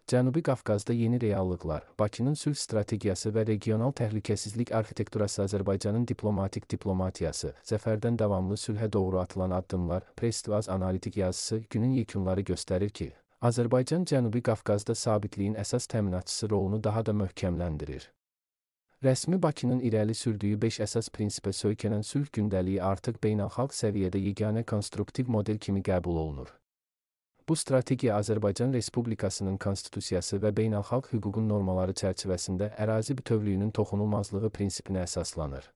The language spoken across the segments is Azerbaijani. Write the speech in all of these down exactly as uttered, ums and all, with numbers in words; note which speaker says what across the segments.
Speaker 1: Cənubi Qafqazda yeni reallıqlar, Bakının sülh strategiyası və regional təhlükəsizlik arxitekturası Azərbaycanın diplomatik diplomatiyası, zəfərdən davamlı sülhə doğru atılan addımlar, Press-to-Az analitik yazısı günün yekunları göstərir ki, Azərbaycan Cənubi Qafqazda sabitliyin əsas təminatçısı rolunu daha da möhkəmləndirir. Rəsmi Bakının irəli sürdüyü beş əsas prinsipə söykənən sülh gündəliyi artıq beynəlxalq səviyyədə yeganə konstruktiv model kimi qəbul olunur. Bu strategiya Azərbaycan Respublikasının konstitusiyası və beynəlxalq hüququn normaları çərçivəsində ərazi bütövlüyünün toxunulmazlığı prinsipinə əsaslanır.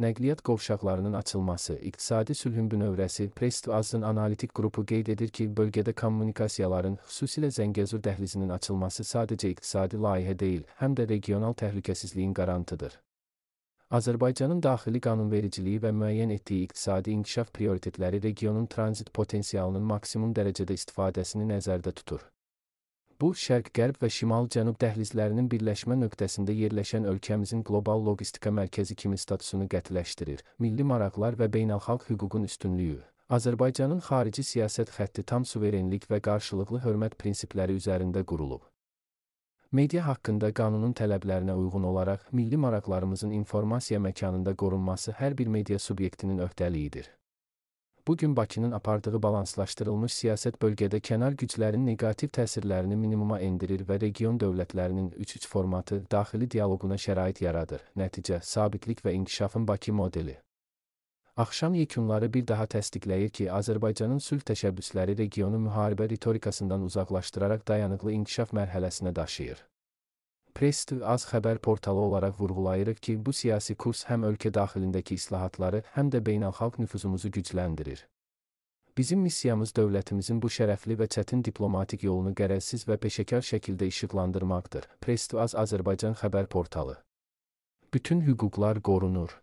Speaker 1: Nəqliyyat qovşaqlarının açılması, iqtisadi sülhün bünövrəsi, Press-to-Az'ın analitik qrupu qeyd edir ki, bölgədə kommunikasiyaların, xüsusilə Zəngəzur dəhlizinin açılması sadəcə iqtisadi layihə deyil, həm də regional təhlükəsizliyin qarantıdır. Azərbaycanın daxili qanunvericiliyi və müəyyən etdiyi iqtisadi inkişaf prioritetləri regionun tranzit potensialının maksimum dərəcədə istifadəsini nəzərdə tutur. Bu, şərq-qərb və şimal-cənub dəhlizlərinin birləşmə nöqtəsində yerləşən ölkəmizin qlobal logistika mərkəzi kimi statusunu qətiləşdirir. Milli maraqlar və beynəlxalq hüququn üstünlüyü. Azərbaycanın xarici siyasət xətti tam suverenlik və qarşılıqlı hörmət prinsipləri üzərində qurulub. Media haqqında qanunun tələblərinə uyğun olaraq milli maraqlarımızın informasiya məkanında qorunması hər bir media subyektinin öhdəliyidir. Bugün Bakının apardığı balanslaşdırılmış siyasət bölgədə kənar güclərin neqativ təsirlərini minimuma endirir və region dövlətlərinin üç üç formatı daxili dialoquna şərait yaradır. Nəticə, sabitlik və inkişafın Bakı modeli. Axşam yekunları bir daha təsdiqləyir ki, Azərbaycanın sülh təşəbbüsləri regionu müharibə ritorikasından uzaqlaşdıraraq dayanıqlı inkişaf mərhələsinə daşıyır. Press-to-Az xəbər portalı olaraq vurğulayırıq ki, bu siyasi kurs həm ölkə daxilindəki islahatları, həm də beynəlxalq nüfuzumuzu gücləndirir. Bizim missiyamız dövlətimizin bu şərəfli və çətin diplomatik yolunu qərəzsiz və peşəkar şəkildə işıqlandırmaqdır. Press-to-Az Azərbaycan xəbər portalı. Bütün hüquqlar qorunur.